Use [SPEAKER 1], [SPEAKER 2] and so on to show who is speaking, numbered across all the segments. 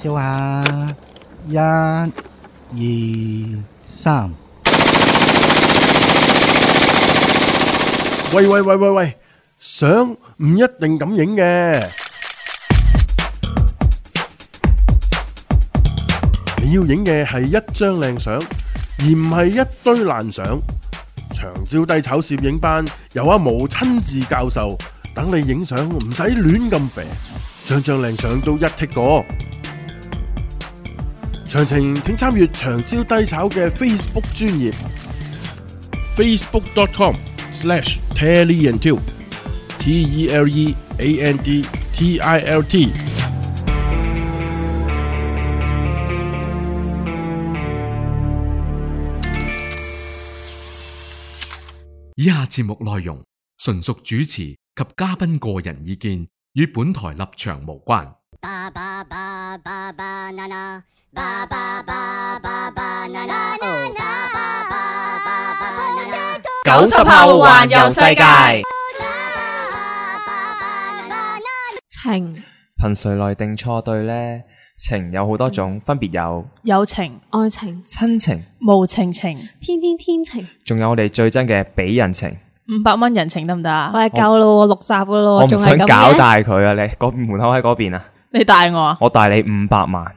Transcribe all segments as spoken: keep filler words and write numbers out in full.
[SPEAKER 1] 笑下，一、二、三。
[SPEAKER 2] 喂喂喂喂喂，相唔一定咁影嘅，你要影嘅係一張靚相，而唔係一堆爛相。長招低炒攝影班由阿毛親自教授，等你影相唔使亂咁肥，張張靚相都一剔過。詳情請參閱長招低炒嘅 Facebook 專頁 facebook dot com slash teleantilt T E L E A N D T I L T。
[SPEAKER 3] 以下節目內容純屬主持及嘉賓個人意見，與本台立場無關。
[SPEAKER 4] 九十後環遊世界。
[SPEAKER 5] 情
[SPEAKER 6] 憑誰來定錯對呢？情有好多種，分別有
[SPEAKER 5] 友情、愛情、
[SPEAKER 6] 親情、
[SPEAKER 5] 無情情、
[SPEAKER 7] 天天天情，
[SPEAKER 6] 仲有我哋最憎嘅俾人情。
[SPEAKER 5] 五百蚊人情得唔得啊？
[SPEAKER 7] 我係夠咯，六集噶咯，
[SPEAKER 6] 我唔想搞
[SPEAKER 7] 大
[SPEAKER 6] 大佢啊！你嗰門口喺嗰邊啊？
[SPEAKER 5] 你帶我啊？
[SPEAKER 6] 我帶你五百萬。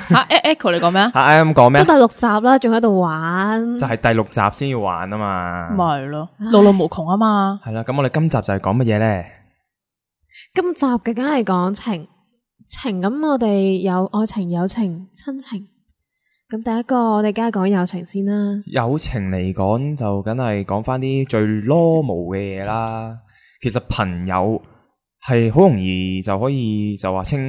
[SPEAKER 5] 吓 ，Echo 你講咩啊？
[SPEAKER 6] 吓 ，I 咁講咩？
[SPEAKER 7] 都第六集啦，仲喺度玩，
[SPEAKER 6] 就係第六集先要玩啊嘛。
[SPEAKER 5] 咪係咯，路路無窮啊嘛。
[SPEAKER 6] 係啦，咁我哋今集就係講乜嘢咧？
[SPEAKER 7] 今集嘅梗係講情情，咁我哋有愛情、友情、親情。咁第一個我哋梗係講友情先啦。
[SPEAKER 6] 友情嚟講就梗係講翻啲最 normal 嘅嘢啦。其實朋友係好容易就可以就話稱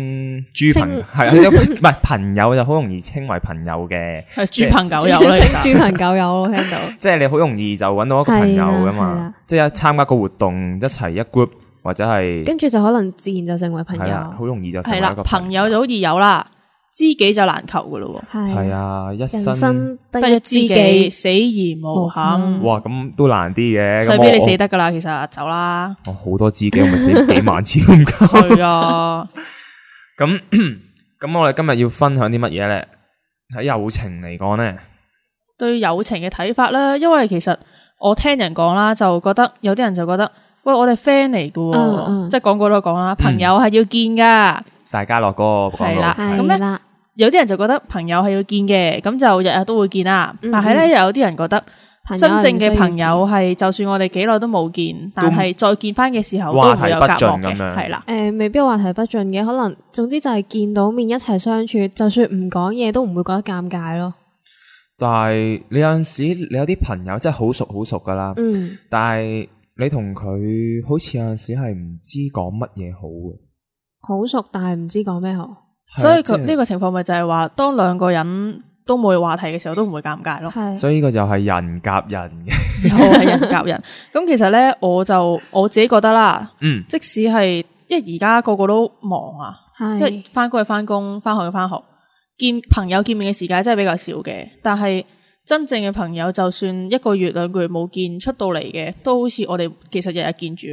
[SPEAKER 6] 豬朋，係唔係朋友就好容易稱為朋友嘅，
[SPEAKER 5] 係豬朋狗友啦，
[SPEAKER 7] 豬朋狗友我聽到，
[SPEAKER 6] 即係你好容易就揾到一個朋友噶嘛，即係一參加個活動一齊一 group 或者係，
[SPEAKER 7] 跟住就可能自然就成為朋友，
[SPEAKER 6] 好容易就成為一個
[SPEAKER 5] 朋友就好易有啦，知己就難求噶咯。
[SPEAKER 6] 係啊，一
[SPEAKER 7] 生
[SPEAKER 5] 得一知己，死而無憾。
[SPEAKER 6] 哇，咁都難啲嘅，
[SPEAKER 5] 所以你死得噶啦，其實走啦。
[SPEAKER 6] 我好多知己，我咪死幾萬次咁夠。
[SPEAKER 5] 係啊，
[SPEAKER 6] 咁咁我哋今日要分享啲乜嘢咧？喺友情嚟講咧，
[SPEAKER 5] 對友情嘅睇法啦，因為其實我聽人講啦，就覺得有啲人就覺得，喂，我哋 friend 嚟噶，
[SPEAKER 7] 嗯嗯、
[SPEAKER 5] 即係講過都講啦，朋友係要見噶。
[SPEAKER 6] 大家樂嗰個
[SPEAKER 5] 係啦，咁咧有啲人就覺得朋友係要見嘅，咁就日日都會見啦。嗯、但係咧，又有啲人覺得真正嘅朋友係，就算我哋幾耐都冇見，但係再見翻嘅時候都會有隔膜嘅，係啦。誒、
[SPEAKER 7] 呃，未必話題不盡嘅，可能總之就係見到面一齊相處，就算唔講嘢都唔會覺得尷尬咯。
[SPEAKER 6] 但係你有陣時，你有啲朋友真係好熟好熟噶啦，嗯，但係你同佢好似有陣時係唔知講乜嘢好嘅。
[SPEAKER 7] 好熟，但係唔知講咩好，
[SPEAKER 5] 所以佢呢個情況咪就係話，當兩個人都冇話題嘅時候，都唔會尷尬咯。
[SPEAKER 7] 係，
[SPEAKER 6] 所以呢個就係人夾人嘅，
[SPEAKER 5] 又係人夾人。咁其實咧，我就我自己覺得啦，嗯，即使係，因為而家個個都忙啊，即係翻工去翻工，翻學去翻學，見朋友見面嘅時間真係比較少嘅。但係真正嘅朋友，就算一個月兩個月冇見，出到嚟嘅，都好似我哋其實日日見住。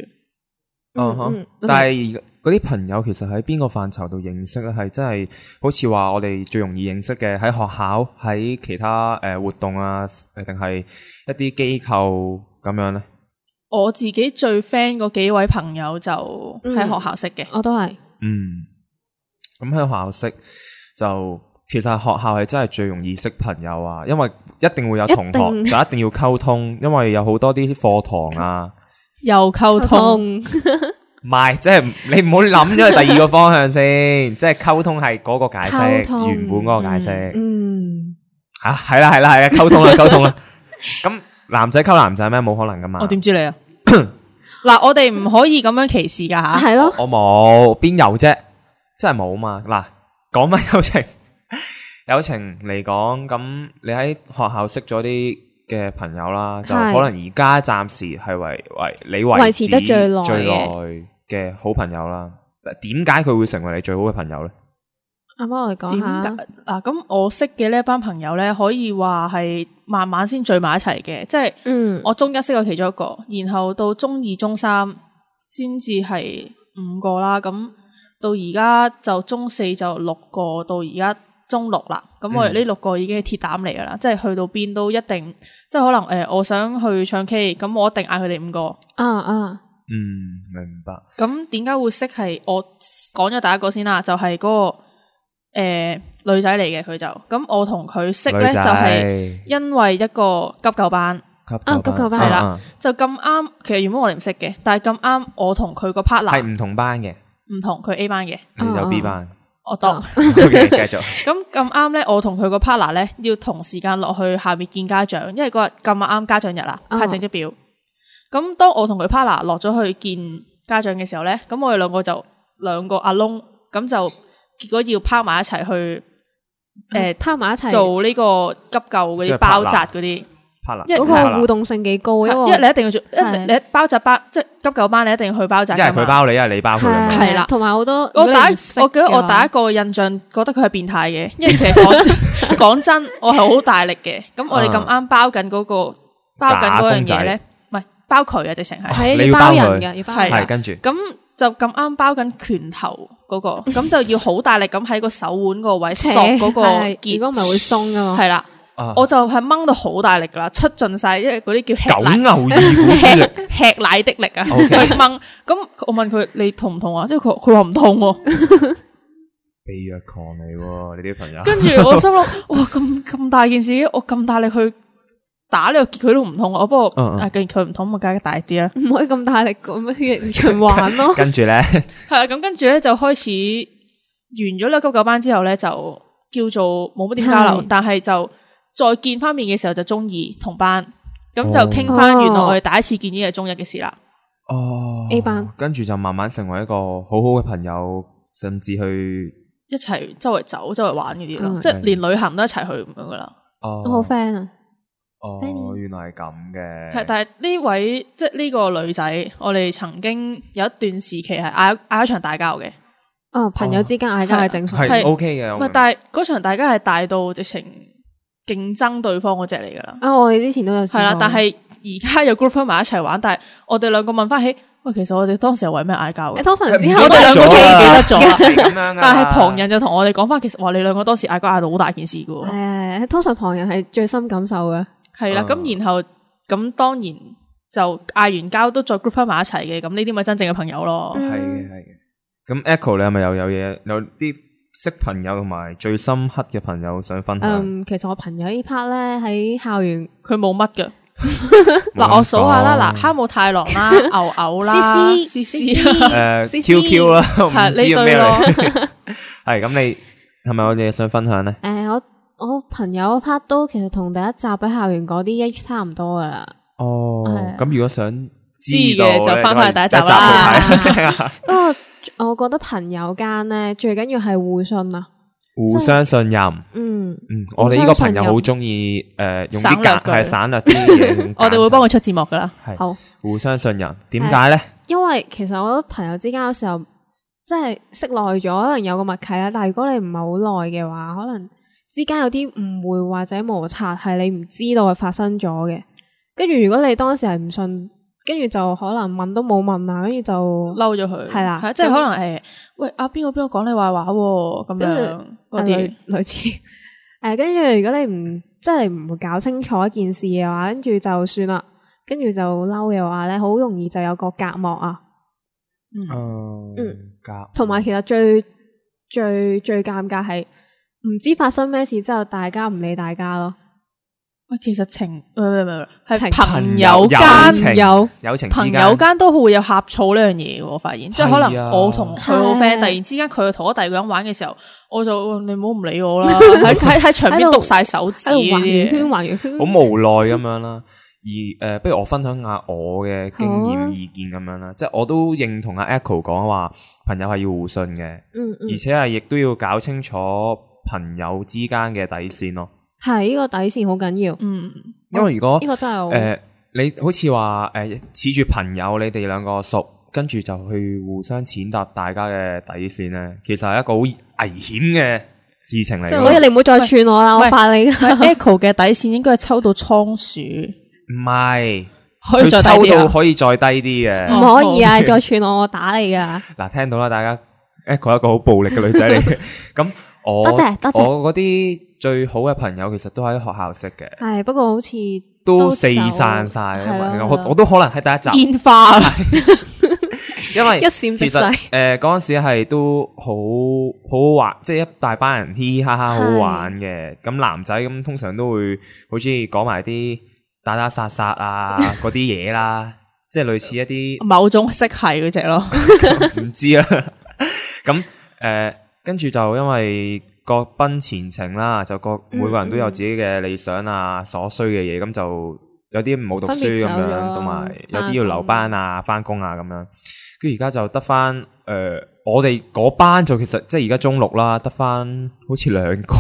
[SPEAKER 6] 嗯哼，嗯但係嗰啲朋友其實喺邊個範疇度認識咧？係真係好似話我哋最容易認識嘅喺學校，喺其他誒、呃、活動啊，誒定係一啲機構咁樣咧？
[SPEAKER 5] 我自己最 friend 嗰幾位朋友就喺學校識嘅、嗯，
[SPEAKER 7] 我都係。
[SPEAKER 6] 嗯，咁喺學校識就其實學校係真係最容易識朋友啊，因為一定會有同學，一就一定要溝通，因為有好多啲課堂啊。
[SPEAKER 5] 又溝通，
[SPEAKER 6] 唔係，即係你唔好諗咗去第二個方向先，即係溝通係嗰個解釋，原本嗰個解釋。
[SPEAKER 7] 嗯，
[SPEAKER 6] 吓係啦係啦係啦，溝通啦溝通啦。咁男仔溝男仔咩？冇可能噶嘛。
[SPEAKER 5] 我點知你啊？嗱，我哋唔可以咁樣歧視噶吓。
[SPEAKER 7] 係咯，
[SPEAKER 6] 我冇邊有啫，真係冇嘛。嗱，講翻友情，友情嚟講，咁你喺學校識咗啲嘅朋友啦，就可能而家暫時係為為你為
[SPEAKER 7] 維持得最耐
[SPEAKER 6] 最耐嘅好朋友啦。點解佢會成為你最好嘅朋友咧？
[SPEAKER 7] 啱啱我哋講下
[SPEAKER 5] 嗱，咁我識嘅呢一班朋友咧，可以話係慢慢先聚埋一齊嘅，即係，嗯，我中一識咗其中一個，然後到中二、中三先至係五個啦，咁到而家就中四就六個，到而家中六啦。咁我哋呢六個已經係鐵膽嚟噶啦，嗯、即係去到邊都一定，即係可能誒、呃，我想去唱 K， 咁我一定嗌佢哋五個。
[SPEAKER 7] 啊啊，
[SPEAKER 6] 嗯，明白。
[SPEAKER 5] 咁點解會識係我講咗第一個先啦？就係、是、嗰、那個誒、呃、女仔嚟嘅，佢就咁我同佢識咧，就係因為一個急救班。
[SPEAKER 7] 啊，急救班
[SPEAKER 5] 係啦，就咁啱。其實原本我哋唔識嘅，但係咁啱我同佢個 partner
[SPEAKER 6] 係唔同班嘅，
[SPEAKER 5] 唔同佢 A 班嘅，
[SPEAKER 6] 你有 B 班。
[SPEAKER 5] 我當
[SPEAKER 6] OK 繼續。
[SPEAKER 5] 咁咁啱咧，我同佢個 partner 咧要同時間落去下面見家長，因為嗰日咁啱家長日啦，派成績表。咁當我同佢 partner 落咗去見家長嘅時候咧，咁我哋兩個就兩個阿窿，咁就結果要拋埋一齊去誒
[SPEAKER 7] 拋埋一齊
[SPEAKER 5] 做呢個急救嗰啲包紮嗰啲。
[SPEAKER 7] 因為嗰個互動性幾高，因為
[SPEAKER 5] 一你一定要做，一你包紮班，即係急救班，你一定要去包紮。
[SPEAKER 6] 一係佢包你，一係你包佢。
[SPEAKER 5] 係啦，
[SPEAKER 7] 同埋好多。
[SPEAKER 5] 我第一，我記得我第一個印象覺得佢係變態嘅，因為其實講講真，我係好大力嘅。咁我哋咁啱包緊嗰個包緊嗰樣嘢咧，唔係包佢啊，直情係。
[SPEAKER 7] 係要包人嘅，要包人。
[SPEAKER 6] 係跟住。
[SPEAKER 5] 咁就咁啱包緊拳頭嗰個，咁就要好大力咁喺個手腕個位索嗰個結，
[SPEAKER 7] 如果唔係會鬆噶嘛。
[SPEAKER 5] 係啦。Uh, 我就係掹到好大力噶啦，出盡晒，因為嗰啲叫吃
[SPEAKER 6] 九牛二虎之力，
[SPEAKER 5] 吃奶的力啊！去掹，咁我問佢你痛唔痛啊？即係佢佢話唔痛，
[SPEAKER 6] 被虐狂嚟，你啲朋友。
[SPEAKER 5] 跟住我心諗，哇咁咁大件事，我咁大力去打呢個結，佢都唔痛。我不過啊，既然佢唔痛，咪梗係大啲啦，
[SPEAKER 7] 唔可以咁大力咁樣血液循環咯。
[SPEAKER 6] 跟住咧，
[SPEAKER 5] 係啦，咁跟住咧就開始完咗呢個急救班之後咧，就叫做冇乜點交流，但係就。再見翻面嘅時候就中二同班，咁就傾翻原來我哋第一次見呢個中一嘅事啦。
[SPEAKER 6] 哦
[SPEAKER 7] ，A 班，
[SPEAKER 6] 跟住就慢慢成為一個好好嘅朋友，甚至去
[SPEAKER 5] 一齊周圍走、周圍玩嗰啲咯，即係連旅行都一齊去咁樣噶啦。
[SPEAKER 6] 哦，
[SPEAKER 7] 好 friend 啊！
[SPEAKER 6] 哦，原來係咁嘅。
[SPEAKER 5] 係，但係呢位即係呢個女仔，我哋曾經有一段時期係嗌嗌一場大交嘅。
[SPEAKER 7] 哦，朋友之間嗌交係正常，
[SPEAKER 6] 係 OK 嘅。
[SPEAKER 5] 唔係，但係嗰場大交係大到直情。競爭對方嗰隻嚟噶啦，
[SPEAKER 7] 啊！我哋之前都有試過，
[SPEAKER 5] 係啦，但係而家有 group 翻埋一齊玩，但係我哋兩個問翻起，喂，其實我哋當時係為咩嗌交嘅？
[SPEAKER 7] 通常之後
[SPEAKER 5] 我哋兩個都記得咗啦，
[SPEAKER 6] 咁樣
[SPEAKER 5] 但係旁人就同我哋講翻，其實話你兩個當時嗌交嗌到好大件事噶。
[SPEAKER 7] 係係，通常旁人係最深感受嘅。
[SPEAKER 5] 係啦，咁、嗯、然後咁當然就嗌完交都再 group 翻埋一齊嘅，咁呢啲咪真正嘅朋友咯。
[SPEAKER 6] 係嘅係嘅。咁 Echo 你係咪又有嘢有啲？識朋友同埋最深刻嘅朋友想分享。
[SPEAKER 7] 嗯，其實我朋友呢 part 咧喺校園
[SPEAKER 5] 佢冇乜嘅。嗱，我數下啦，嗱，哈姆太郎啦，牛牛啦，C C，
[SPEAKER 6] 誒 Q Q 啦，
[SPEAKER 5] 係呢對咯。
[SPEAKER 6] 係咁，你係咪有嘢想分享咧？
[SPEAKER 7] 誒，我我朋友 part 都其實同第一集喺校園嗰啲一差唔多噶啦。
[SPEAKER 6] 哦，咁如果想
[SPEAKER 5] 知嘅就翻返去第一集啦。
[SPEAKER 7] 不過我覺得朋友間咧最緊要係互信啊，
[SPEAKER 6] 互相信任。嗯嗯，我哋呢個朋友好中意誒用啲簡係省略啲嘢。
[SPEAKER 5] 我哋會幫佢出字幕噶啦。
[SPEAKER 6] 係
[SPEAKER 7] 好，
[SPEAKER 6] 互相信任。點解咧？
[SPEAKER 7] 因為其實我覺得朋友之間有時候即係識耐咗，可能有個默契啦。但係如果你唔係好耐嘅話，可能之間有啲誤會或者摩擦係你唔知道係發生咗嘅。跟住如果你當時係唔信。跟住就可能問都冇問啊，跟住就嬲咗佢，係啦，
[SPEAKER 5] 即係可能誒，喂阿邊個邊個講你壞話咁樣嗰啲
[SPEAKER 7] 類似，誒，跟住如果你唔即係你唔會搞清楚一件事嘅話，跟住就算啦，跟住就嬲嘅話咧，好容易就有個隔膜啊，
[SPEAKER 6] 嗯嗯，隔，
[SPEAKER 7] 同埋其實最最最尷尬係唔知發生咩事之後，大家唔理大家咯。
[SPEAKER 5] 喂，其實情唔唔唔係朋友間
[SPEAKER 6] 有友情，
[SPEAKER 5] 朋友間都會有呷醋呢樣嘢嘅。我發現，即係可能我同佢好 friend，突然之間佢同我第二個人玩嘅時候，我就你唔好唔理我啦，喺喺喺牆邊篤晒手指，
[SPEAKER 7] 環圓圈環圓圈，
[SPEAKER 6] 好無奈咁樣啦。而誒，不如我分享下我嘅經驗意見咁樣啦，即係我都認同阿 Echo 講話，朋友係要互信嘅，嗯嗯，而且係亦都要搞清楚朋友之間嘅底線咯。
[SPEAKER 7] 係呢、這個底線好緊要，嗯，
[SPEAKER 6] 因為如果
[SPEAKER 7] 呢、這個真係誒、
[SPEAKER 6] 呃，你好似話誒，恃住朋友，你哋兩個熟，跟住就去互相踐踏大家嘅底線咧，其實係一個好危險嘅事情嚟。
[SPEAKER 7] 所以你唔好再串我啦，我怕你。
[SPEAKER 5] Echo 嘅底線應該係抽到倉鼠，
[SPEAKER 6] 唔係，
[SPEAKER 5] 佢
[SPEAKER 6] 抽到可以再低啲嘅，
[SPEAKER 7] 唔可以啊！再串我，我打你噶。
[SPEAKER 6] 嗱，聽到啦，大家 Echo 一個好暴力嘅女仔嚟嘅。咁我
[SPEAKER 7] 多謝多謝
[SPEAKER 6] 我嗰啲最好嘅朋友其實都喺學校識嘅。
[SPEAKER 7] 係，不過好似
[SPEAKER 6] 都四散晒，我我都可能喺第一集
[SPEAKER 5] 煙花，
[SPEAKER 6] 因為
[SPEAKER 7] 一閃即逝。
[SPEAKER 6] 誒嗰陣時係都好好好玩，即係一大班人嘻嘻哈哈好好玩嘅。咁男仔咁通常都會好中意講埋啲打打殺殺啊嗰啲嘢啦，即係類似一啲
[SPEAKER 5] 某種色系嗰隻咯，
[SPEAKER 6] 唔知啦。咁誒跟住就因為各奔前程啦，就各每個人都有自己嘅理想啊，所需嘅嘢，咁就有啲唔好讀書咁樣，同埋有啲要留班啊、翻工啊咁樣。跟住而家就得翻誒，我哋嗰班就其實即係而家中六啦，得翻好似兩個。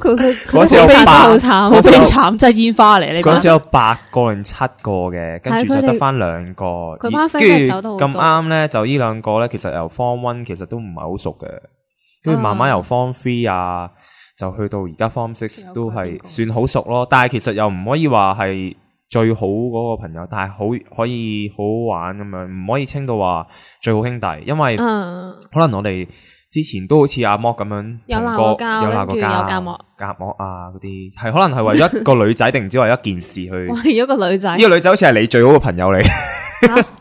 [SPEAKER 7] 佢佢
[SPEAKER 6] 嗰時有八，
[SPEAKER 7] 好慘，
[SPEAKER 5] 好悲慘，真係煙花嚟呢班。
[SPEAKER 6] 嗰時有八個定七個嘅，跟住就得翻兩個。
[SPEAKER 7] 佢班 friend 走得好多。
[SPEAKER 6] 咁啱咧，就呢兩個咧，其實由 Form One 其實都唔係好熟嘅。跟住慢慢由 Form Three 啊，就去到而家 Form Six 都係算好熟咯。但係其實又唔可以話係最好嗰個朋友，但係好可以好好玩咁樣，唔可以稱到話最好兄弟，因為可能我哋之前都好似阿莫咁樣
[SPEAKER 7] 有鬧過交，
[SPEAKER 6] 有鬧過交，
[SPEAKER 7] 有隔膜、
[SPEAKER 6] 隔膜啊嗰啲，係可能係為咗一個女仔定唔知為一件事去。
[SPEAKER 7] 為咗個女仔，
[SPEAKER 6] 呢個女仔好似係你最好嘅朋友嚟。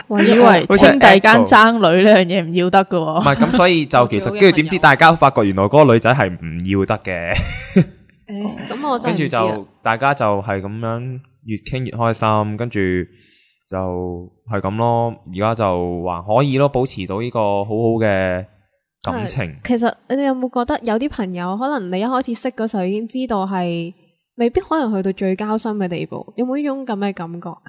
[SPEAKER 5] 我以為兄弟間爭女呢樣嘢唔要得噶，
[SPEAKER 6] 唔係咁，所以就其實跟住點知大家發覺原來嗰個女仔係唔要得嘅。
[SPEAKER 7] 誒，咁我
[SPEAKER 6] 跟住就大家就係咁樣越傾越開心，跟住就係咁咯。而家就還可以咯，保持到呢個好好嘅感情。
[SPEAKER 7] 其實你哋有冇覺得有啲朋友可能你一開始識嗰時候已經知道係未必可能去到最交心嘅地步，有冇呢種咁嘅感覺噶？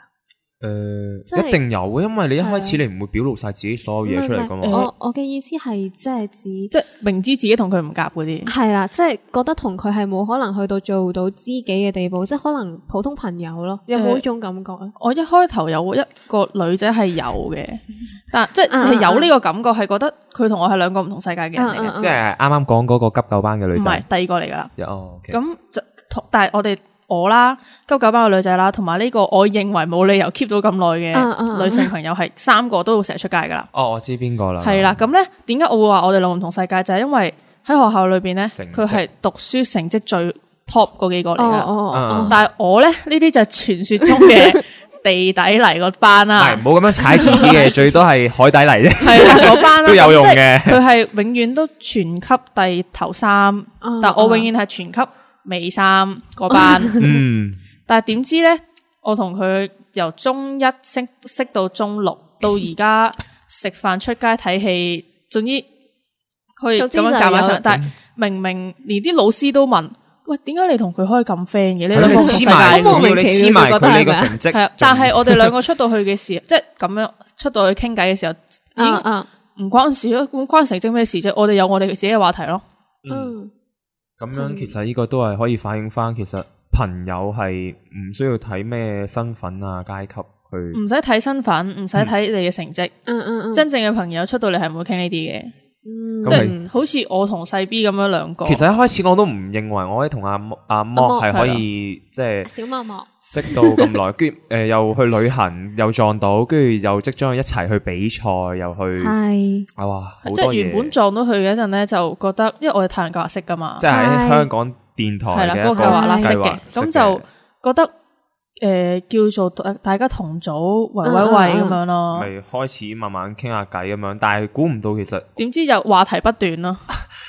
[SPEAKER 6] 誒、呃，一定有嘅，因為你一開始你唔會表露晒自己所有嘢出嚟噶嘛。
[SPEAKER 7] 我我嘅意思係即係指，
[SPEAKER 5] 即係明知自己同佢唔夾嗰啲。
[SPEAKER 7] 係啦，即係覺得同佢係冇可能去到做到知己嘅地步，即係可能普通朋友咯。有冇呢種感覺啊、呃？
[SPEAKER 5] 我一開頭有一個女仔係有嘅，但即係係有呢個感覺，係覺得佢同我係兩個唔同世界嘅人嚟嘅、啊啊。
[SPEAKER 6] 即係啱啱講嗰個急救班嘅女仔，
[SPEAKER 5] 唔係第二個嚟噶啦。
[SPEAKER 6] 哦，咁、
[SPEAKER 5] okay. 就同，但係我哋。我啦，急救班嘅女仔啦，同埋呢個我認為冇理由 keep 到咁耐嘅女性朋友，係三個都會成日出街噶啦。
[SPEAKER 6] 哦，我知邊個啦。
[SPEAKER 5] 係啦，咁咧點解我會話我哋兩個唔同世界？就係、是、因為喺學校裏邊咧，佢係讀書成績最 top 嗰幾個嚟噶。哦哦哦。但係我咧呢啲就係傳說中嘅地底泥個班啦。係，
[SPEAKER 6] 唔好咁樣踩自己嘅，最多係海底泥啫。係
[SPEAKER 5] 啦，嗰班啦
[SPEAKER 6] 都有用嘅。
[SPEAKER 5] 佢係永遠都全級第頭三，哦、但我永遠係全級尾三嗰班。嗯。但係點知咧？我同佢由中一識識到中六，到而家食飯、出街睇戲，總之可以咁樣夾埋上。但係明明連啲老師都問：喂，點解你同佢可以咁 friend 嘅？你兩個同世界，
[SPEAKER 7] 莫名其妙
[SPEAKER 6] 佢呢個成績
[SPEAKER 5] 係啊。但係我哋兩個出到去嘅時候，即係咁樣出到去傾偈嘅時候，已經唔關事咯。咁關成績咩事啫？我哋有我哋自己嘅話題咯。
[SPEAKER 6] 嗯，咁樣其實呢個都係可以反映翻，其實。朋友係唔需要睇咩身份啊階級去，
[SPEAKER 5] 唔使睇身份，唔使睇你嘅成績。嗯嗯嗯，真正嘅朋友出到嚟係唔會傾呢啲嘅。嗯，即係好似我同細 B 咁樣兩個。
[SPEAKER 6] 其實一開始我都唔認為我可以同阿阿莫係可以即係
[SPEAKER 7] 小莫莫
[SPEAKER 6] 識到咁耐，跟住誒又去旅行又撞到，跟住又即將一齊去比賽又去係啊哇，
[SPEAKER 5] 即係原本撞到佢嘅一陣咧，就覺得因為我哋太陽教育識噶嘛，
[SPEAKER 6] 即係喺香港。電台
[SPEAKER 5] 係啦，嗰個計劃啦，識嘅，咁就覺得誒、呃、叫做大家同組圍圍圍咁樣咯，
[SPEAKER 6] 咪開始慢慢傾下偈咁樣，但係估唔到其實
[SPEAKER 5] 點知就話題不斷咯，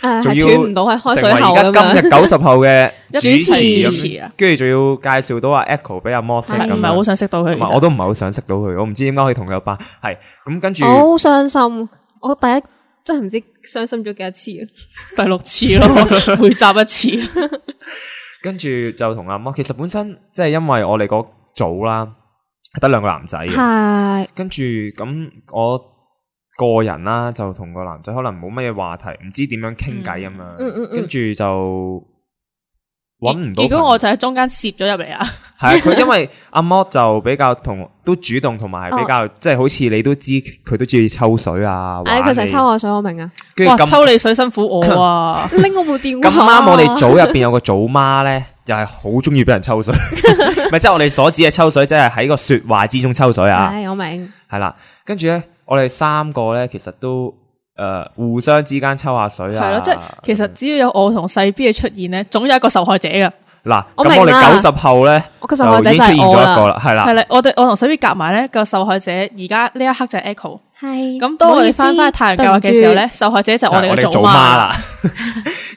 [SPEAKER 7] 誒係斷唔到喺開水口咁樣。
[SPEAKER 6] 而家今日九十後嘅主
[SPEAKER 5] 持啊，
[SPEAKER 6] 跟住仲要介紹到阿 Echo 俾阿 Mo 識咁，
[SPEAKER 5] 唔係好想識到佢，
[SPEAKER 6] 我都唔係好想識到佢，我唔知點解可以同佢一班，係咁跟住。
[SPEAKER 7] 我好傷心，我第一真係唔知傷心咗幾多次啊，
[SPEAKER 5] 第六次咯，每集一次。
[SPEAKER 6] 跟住就同阿摩，其實本身即係因為我哋嗰組啦，得兩個男仔嘅，係跟住咁我個人啦，就同個男仔可能冇乜嘢話題，唔知點樣傾偈咁樣，嗯嗯嗯，跟住就搵唔到。
[SPEAKER 5] 結果我就喺中間攝咗入嚟啊！
[SPEAKER 6] 係啊，佢因為阿摩就比較同都主動，同埋比較即係好似你都知，佢都中意抽水啊。
[SPEAKER 7] 哎，佢成日抽我水，我明啊。
[SPEAKER 5] 哇，抽你水辛苦我啊！拎我部電話。
[SPEAKER 6] 咁啱我哋組入邊有個組媽咧，又係好中意俾人抽水。咪即係我哋所指嘅抽水，即係喺個說話之中抽水啊。
[SPEAKER 7] 係，我明。
[SPEAKER 6] 係啦，跟住咧，我哋三個咧，其實都誒互相之間抽下水啊。
[SPEAKER 5] 係咯，即係其實只要有我同細 B 嘅出現咧，總有一個受害者噶。
[SPEAKER 6] 嗱，咁我哋九十後咧，
[SPEAKER 7] 我個受害者
[SPEAKER 6] 就已經出現咗一個啦，係啦，
[SPEAKER 5] 係啦，我哋我同細 B 夾埋咧個受害者，而家呢一刻就係 Echo。
[SPEAKER 7] 係
[SPEAKER 5] 咁當我哋翻翻太陽計劃嘅時候咧，受害者就係我哋嘅祖媽
[SPEAKER 6] 啦。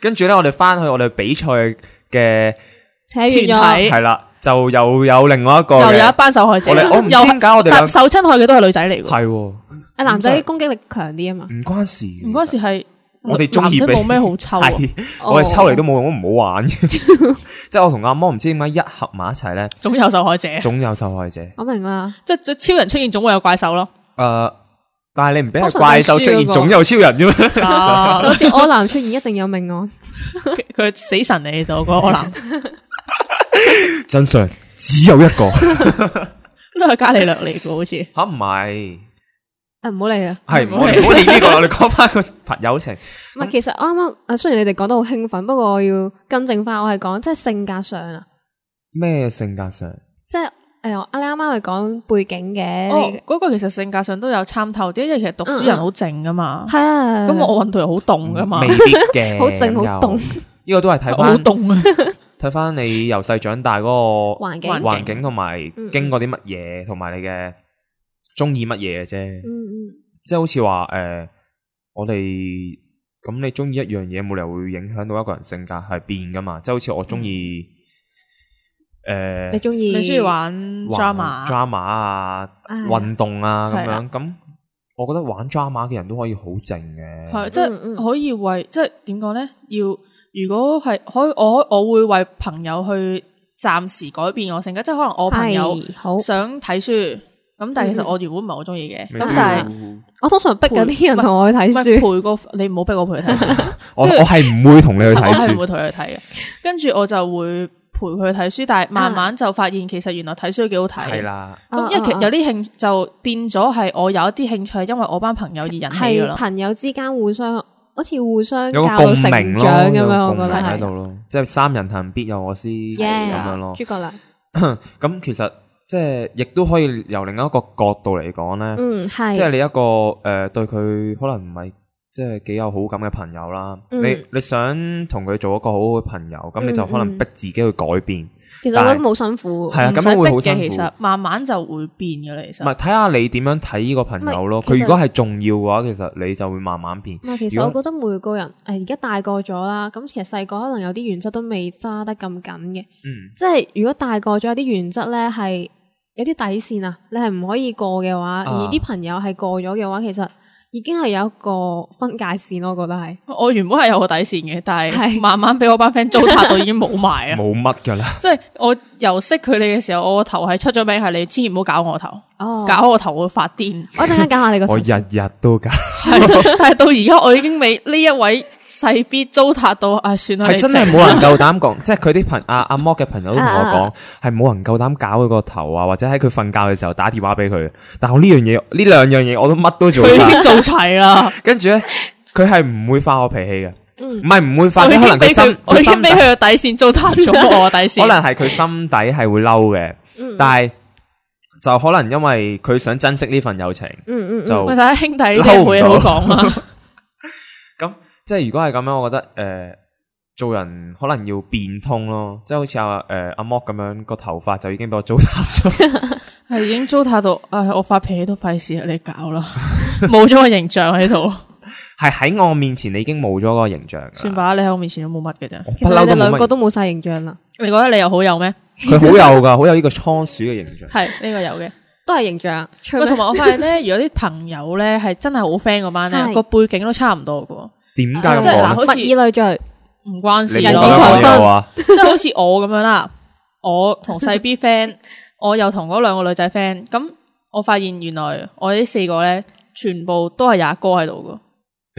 [SPEAKER 6] 跟住咧，我哋翻去我哋比賽嘅
[SPEAKER 7] 團體
[SPEAKER 6] 係啦，就又有另外一個，
[SPEAKER 5] 又有一班受害者。
[SPEAKER 6] 我唔知點解我哋
[SPEAKER 5] 受親害嘅都係女仔嚟嘅。
[SPEAKER 6] 係，
[SPEAKER 7] 啊男仔攻擊力強啲啊嘛。
[SPEAKER 6] 唔關事，
[SPEAKER 5] 唔關事係。
[SPEAKER 6] 我哋中意
[SPEAKER 5] 男仔冇咩好抽啊，
[SPEAKER 6] 我哋抽嚟都冇用，都唔好玩。即係我同阿摩唔知點解一合埋一齊咧，
[SPEAKER 5] 總有受害者，
[SPEAKER 6] 總有受害者。
[SPEAKER 7] 我明啦，
[SPEAKER 5] 即係超人出現總會有怪獸咯。
[SPEAKER 6] 誒，但係你唔俾係怪獸出現，總有超人嘅咩？
[SPEAKER 7] 就好似柯南出現，一定有命案。
[SPEAKER 5] 佢死神嚟嘅就個柯南，
[SPEAKER 6] 真相只有一個，
[SPEAKER 5] 都係伽利略嚟嘅，好似
[SPEAKER 6] 吓唔係。
[SPEAKER 7] 誒，唔好理啦，
[SPEAKER 6] 係唔好唔好理呢個，我哋講翻個朋友情。
[SPEAKER 7] 唔係，其實啱啱誒，雖然你哋講得好興奮，不過我要更正翻，我係講即係性格上啊。
[SPEAKER 6] 咩性格上？
[SPEAKER 7] 即係誒，你啱啱係講背景嘅。
[SPEAKER 5] 哦，嗰個其實性格上都有參透啲，因為其實讀書人好靜噶嘛。
[SPEAKER 7] 係啊。
[SPEAKER 5] 咁我運動又好凍噶嘛。
[SPEAKER 6] 未必嘅，
[SPEAKER 7] 好靜好凍。
[SPEAKER 6] 呢個都係睇翻。
[SPEAKER 5] 好凍啊！
[SPEAKER 6] 睇翻你由細長大嗰個
[SPEAKER 7] 環境
[SPEAKER 6] 環境同埋經過啲乜嘢，同埋你嘅。中意乜嘢嘅啫，
[SPEAKER 7] 嗯嗯，
[SPEAKER 6] 即係好似話誒，我哋咁你中意一樣嘢，冇理由會影響到一個人性格係變噶嘛，即係好似我中意誒，
[SPEAKER 7] 你中意
[SPEAKER 5] 你中意玩 drama
[SPEAKER 6] drama 啊，運動啊咁樣，咁我覺得玩 drama 嘅人都可以好靜嘅，
[SPEAKER 5] 係即係可以為即係點講咧？要如果係可以，我我會為朋友去暫時改變我性格，即係可能我朋友想睇書。咁但係其實我原本唔係好中意嘅，咁但係
[SPEAKER 7] 我通常逼緊啲人同我去睇書，
[SPEAKER 5] 陪個你唔好逼我陪佢睇書。
[SPEAKER 6] 我我係唔會同你去睇書，
[SPEAKER 5] 我係唔會同佢去睇嘅。跟住我就會陪佢去睇書，但係慢慢就發現其實原來睇書都幾好睇。
[SPEAKER 6] 係啦，
[SPEAKER 5] 咁因為其實有啲興就變咗係我有一啲興趣係因為我班朋友而引起噶啦。
[SPEAKER 7] 係朋友之間互相好似互相教到成長咁樣，我覺得
[SPEAKER 6] 喺度咯，即係三人行必有我師咁樣咯。
[SPEAKER 7] 諸葛亮
[SPEAKER 6] 咁其實。即係，亦都可以由另一個角度嚟講咧，
[SPEAKER 7] 嗯係，
[SPEAKER 6] 即係你一個誒、呃、對佢可能唔係即係幾有好感嘅朋友啦，嗯、你你想同佢做一個好好嘅朋友，咁、嗯、你就可能逼自己去改變。
[SPEAKER 7] 其實我覺得冇辛苦，
[SPEAKER 6] 係啊，咁樣會好辛苦。
[SPEAKER 5] 其實慢慢就會變嘅啦。其實
[SPEAKER 6] 唔係睇下你點樣睇呢個朋友咯。佢如果係重要嘅話，其實你就會慢慢變。
[SPEAKER 7] 唔係，其實我覺得每個人誒而家大個咗啦，咁其實細個可能有啲原則都未揸得咁緊嘅。
[SPEAKER 6] 嗯，
[SPEAKER 7] 即係如果大個咗有啲原則咧係有啲底線啊，你係唔可以過嘅話，啊、而啲朋友係過咗嘅話，其實已經係有一個分界線咯。我覺得係，
[SPEAKER 5] 我原本係有個底線嘅，但係慢慢俾我班 friend 糟蹋到已經冇埋啊，
[SPEAKER 6] 冇乜噶啦。
[SPEAKER 5] 即係我由識佢哋嘅時候，我個頭係出咗名，係你千祈唔好搞我頭，
[SPEAKER 7] 哦，
[SPEAKER 5] 搞我頭我會發癲。
[SPEAKER 7] 我一陣間搞下你個頭，
[SPEAKER 6] 我日日都搞，
[SPEAKER 5] 但係到而家我已經未呢一位勢必糟蹋到，唉，算啦。
[SPEAKER 6] 係真係冇人夠膽講，即係佢啲朋阿阿摩嘅朋友都同我講，係冇人夠膽搞佢個頭啊，或者喺佢瞓覺嘅時候打電話俾佢。但係我呢樣嘢，呢兩樣嘢我都乜都做晒，
[SPEAKER 5] 佢已經做齊啦。
[SPEAKER 6] 跟住咧，佢係唔會發我脾氣嘅，
[SPEAKER 7] 唔
[SPEAKER 6] 係唔會發。可能佢心，
[SPEAKER 5] 我已經俾佢個底線糟蹋咗我底線。
[SPEAKER 6] 可能係佢心底係會嬲嘅，但係就可能因為佢想珍惜呢份友情，
[SPEAKER 7] 嗯嗯，
[SPEAKER 6] 就
[SPEAKER 5] 睇下兄弟冇嘢好講啊。
[SPEAKER 6] 咁。即係如果係咁樣，我覺得誒、呃，做人可能要變通咯。即係好似阿誒阿莫咁樣，個頭髮就已經俾我糟蹋咗，
[SPEAKER 5] 係已經糟蹋到，唉，我發脾氣都費事你搞啦，冇咗個形象喺度。
[SPEAKER 6] 係喺我面前，你已經冇咗個形象。
[SPEAKER 5] 算吧，你喺我面前都冇乜嘅啫。
[SPEAKER 7] 其實你哋兩個都冇晒形象啦。
[SPEAKER 5] 你覺得你又好有咩？
[SPEAKER 6] 佢好有噶，好有呢個倉鼠嘅形象。
[SPEAKER 5] 係呢、這個有嘅。
[SPEAKER 7] 都係形象。
[SPEAKER 5] 喂，同埋我發現咧，如果啲朋友咧係真係好 friend 嗰班咧，個背景都差唔多嘅。
[SPEAKER 6] 點解咁
[SPEAKER 5] 講咧？
[SPEAKER 7] 物以類聚，
[SPEAKER 5] 唔關事
[SPEAKER 6] 咯。
[SPEAKER 5] 即係好似我咁樣啦，我同細 B friend， 我又同嗰兩個女仔 friend， 咁我發現原來我哋呢四個咧，全部都係有阿哥喺度嘅。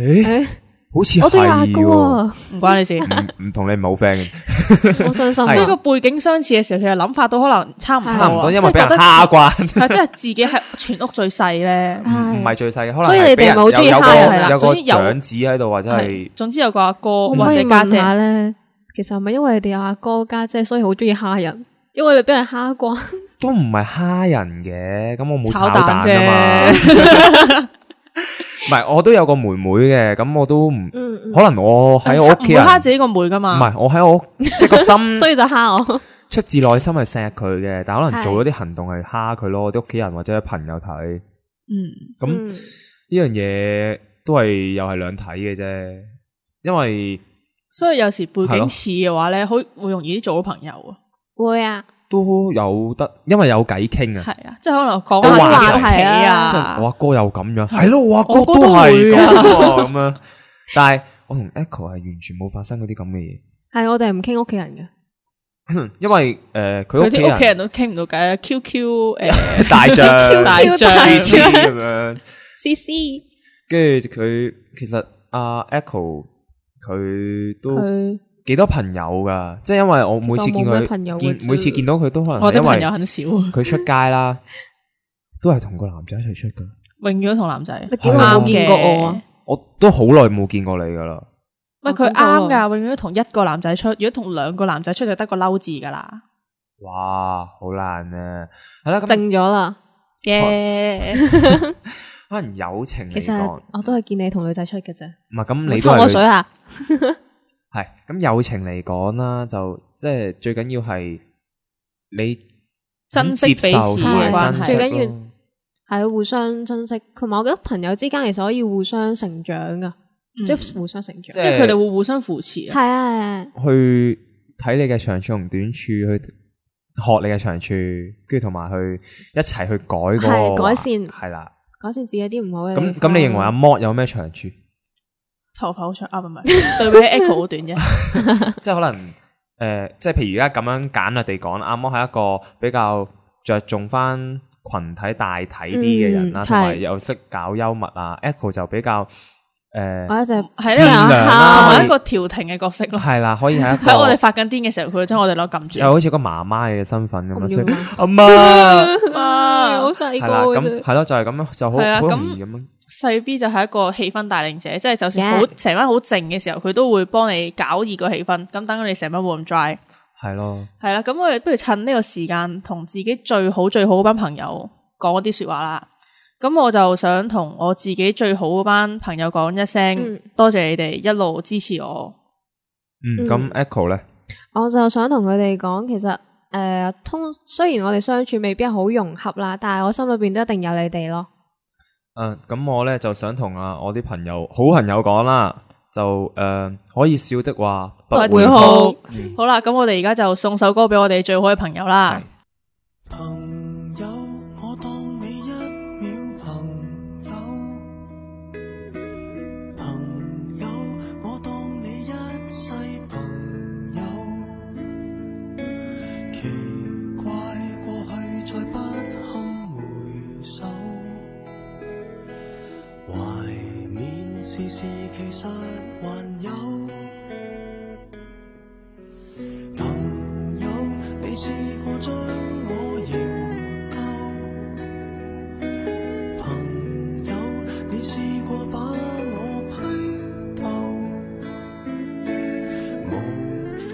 [SPEAKER 6] 誒、欸，好似
[SPEAKER 7] 我都有阿哥啊，
[SPEAKER 5] 唔關你事，
[SPEAKER 6] 唔同你唔好 friend 嘅。
[SPEAKER 7] 好傷心。
[SPEAKER 5] 呢個背景相似嘅時候，其實諗法都可能差唔多。
[SPEAKER 6] 差唔多，因為俾人蝦慣。
[SPEAKER 5] 係，即係自己係全屋最細咧。
[SPEAKER 6] 唔係最細嘅，可能
[SPEAKER 7] 所以你哋冇中意蝦人係啦。
[SPEAKER 6] 有個長子喺度，或者係
[SPEAKER 5] 總之有個阿哥或者家姐
[SPEAKER 7] 咧。其實係咪因為你哋有阿哥家姐，所以好中意蝦人？因為你俾人蝦慣。
[SPEAKER 6] 都唔係蝦人嘅，咁我冇
[SPEAKER 5] 炒
[SPEAKER 6] 蛋
[SPEAKER 5] 啫。
[SPEAKER 6] 唔係，我都有個妹妹嘅，咁我都唔，
[SPEAKER 7] 嗯嗯
[SPEAKER 6] 可能我喺我屋企人
[SPEAKER 5] 唔會蝦自己個妹噶嘛。
[SPEAKER 6] 唔係，我喺我即係個心，
[SPEAKER 7] 所以就蝦我。
[SPEAKER 6] 出自內心係錫佢嘅，但可能
[SPEAKER 7] 係
[SPEAKER 6] 做咗啲行動係蝦佢咯，我啲屋企人或者朋友睇。
[SPEAKER 5] 嗯，
[SPEAKER 6] 咁呢樣嘢都係又係兩睇嘅啫，因為
[SPEAKER 5] 所以有時背景似嘅話咧，好會容易啲做到朋友啊。
[SPEAKER 7] 會啊，
[SPEAKER 6] 都有得，因為有偈傾啊。
[SPEAKER 5] 係啊，即係可能講
[SPEAKER 6] 都話
[SPEAKER 5] 下話題啊。
[SPEAKER 6] 即係我阿哥又咁樣，係咯，我阿哥
[SPEAKER 5] 我哥
[SPEAKER 6] 都係
[SPEAKER 5] 都會啊
[SPEAKER 6] 咁喎咁樣。但係我同 Echo 係完全冇發生嗰啲咁嘅嘢。
[SPEAKER 7] 係我哋唔傾屋企人嘅。
[SPEAKER 6] 因為誒佢屋企
[SPEAKER 5] 佢啲屋企人都傾唔到偈 ，Q Q 誒
[SPEAKER 6] 大象、
[SPEAKER 5] 大象
[SPEAKER 6] 咁樣
[SPEAKER 7] ，C C，
[SPEAKER 6] 跟住佢其實阿 Echo 佢都
[SPEAKER 7] 佢
[SPEAKER 6] 幾多朋友噶，即係因為我每次見
[SPEAKER 7] 其實我冇咩朋友
[SPEAKER 6] 佢
[SPEAKER 7] 嘅
[SPEAKER 6] 見每次見到佢都可能
[SPEAKER 5] 我啲朋
[SPEAKER 6] 係因為
[SPEAKER 5] 友很少，
[SPEAKER 6] 佢出街啦，都係同個男仔一齊出噶。
[SPEAKER 5] 永遠都同男仔。
[SPEAKER 7] 你幾耐冇見過我啊？
[SPEAKER 6] 我都好耐冇見過你噶啦。
[SPEAKER 5] 唔係佢啱噶，永遠都同一個男仔出，如果同兩個男仔出就得個嬲字噶啦。
[SPEAKER 6] 哇，好難啊！係啦，咁
[SPEAKER 7] 靜咗啦
[SPEAKER 5] 嘅。
[SPEAKER 6] 可能友情
[SPEAKER 7] 其實
[SPEAKER 6] 嚟講，
[SPEAKER 7] 我都係見你同女仔出嘅啫。
[SPEAKER 6] 唔係咁你都
[SPEAKER 7] 抽
[SPEAKER 6] 係
[SPEAKER 7] 我水啊！
[SPEAKER 6] 係咁友情嚟講啦，就即係最緊要係你
[SPEAKER 5] 珍惜彼此嘅關係，
[SPEAKER 7] 最緊要係互相珍惜。同埋我覺得朋友之間其實可以互相成長噶。即係互相成長，
[SPEAKER 5] 即係佢哋會互相扶持。
[SPEAKER 7] 係啊係啊，
[SPEAKER 6] 去睇你嘅長處同短處，去學你嘅長處，跟住同埋去一齊去改嗰個
[SPEAKER 7] 改善，
[SPEAKER 6] 係啦，
[SPEAKER 7] 改善自己啲唔好嘅。
[SPEAKER 6] 咁咁，你認為阿 Mod 有咩長處？
[SPEAKER 5] 頭髮好長啊，唔係對比起 Echo 好短啫。
[SPEAKER 6] 即係可能誒，即係譬如而家咁樣簡略地講，阿 Mod 係一個比較着重翻群體大體啲嘅人啦，同埋又識搞幽默啊。Echo 就比較。誒，
[SPEAKER 7] 我一直
[SPEAKER 5] 係
[SPEAKER 6] 善良啦，
[SPEAKER 5] 同埋一個調停嘅角色咯。
[SPEAKER 6] 係啦，可以係一個
[SPEAKER 5] 喺我哋發緊癲嘅時候，佢會將我哋攞撳住，
[SPEAKER 6] 又好似個媽媽嘅身份咁樣。所以阿
[SPEAKER 7] 媽，
[SPEAKER 5] 媽
[SPEAKER 7] 好細個。
[SPEAKER 6] 係啦，咁係咯，就係咁咯，就好好容易咁樣。
[SPEAKER 5] 細 B 就係一個氣氛帶領者，即係就算好成班好靜嘅時候，佢都會幫你搞熱個氣氛，咁等你成班冇咁 dry。
[SPEAKER 6] 係咯，
[SPEAKER 5] 係啦，咁我哋不如趁呢個時間，同自己最好最好嗰班朋友講一啲說話啦。咁我就想同我自己最好嗰班朋友講一聲，嗯、多謝你哋一路支持我。
[SPEAKER 6] 嗯，咁 Echo 咧，
[SPEAKER 7] 我就想同佢哋講，其實誒、呃，通雖然我哋相處未必係好融合啦，但係我心裏邊都一定有你哋咯。
[SPEAKER 6] 嗯，咁我咧就想同啊我啲朋友好朋友講啦，就誒、呃、可以笑的話不會哭。嗯、
[SPEAKER 5] 好啦，咁我哋而家就送首歌俾我哋最好嘅朋友啦。
[SPEAKER 8] 時時其實還有朋友，你試過將我營救，朋友，你試過把我批鬥，無法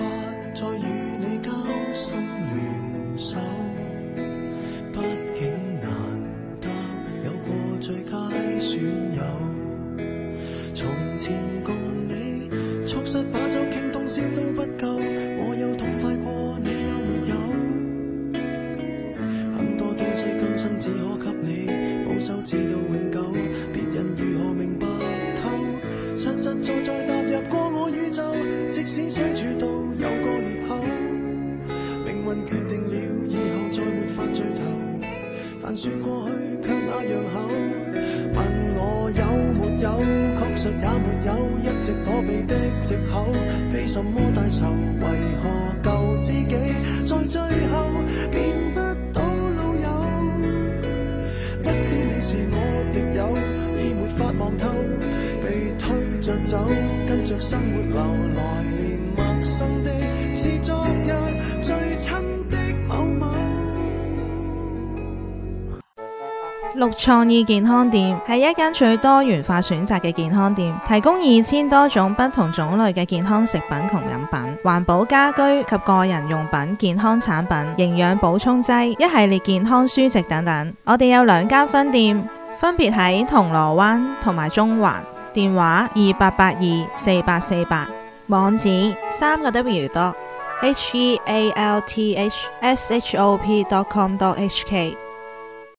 [SPEAKER 8] 再與你交心聯手，畢竟難得有過最佳損友。從前共你促膝把酒傾通宵都不夠，我有痛快過你有沒有？很多東西今生只可給你保守，直到永久，別人如何明白透？實實在在踏入過我宇宙，即使相處到有個裂口，命運決定了以後再沒法聚頭，但說過去卻那樣厚。問我有沒有，確實也沒有，一直躲避的藉口，非什麼大仇，為何舊知己在最後變不到老友？不知你是我敵友，已沒法望透，被推着走，跟着生活流來，連陌生的是昨日最親的某某。
[SPEAKER 9] 綠創意健康店係一間最多元化選擇嘅健康店，提供二千多種不同種類嘅健康食品同飲品、環保家居及個人用品、健康產品、營養補充劑、一系列健康書籍等等。我哋有兩間分店，分別喺銅鑼灣同埋中環，電話二八八二四八四八，網址三個 W dot H E A L T H S H O P dot com dot H K。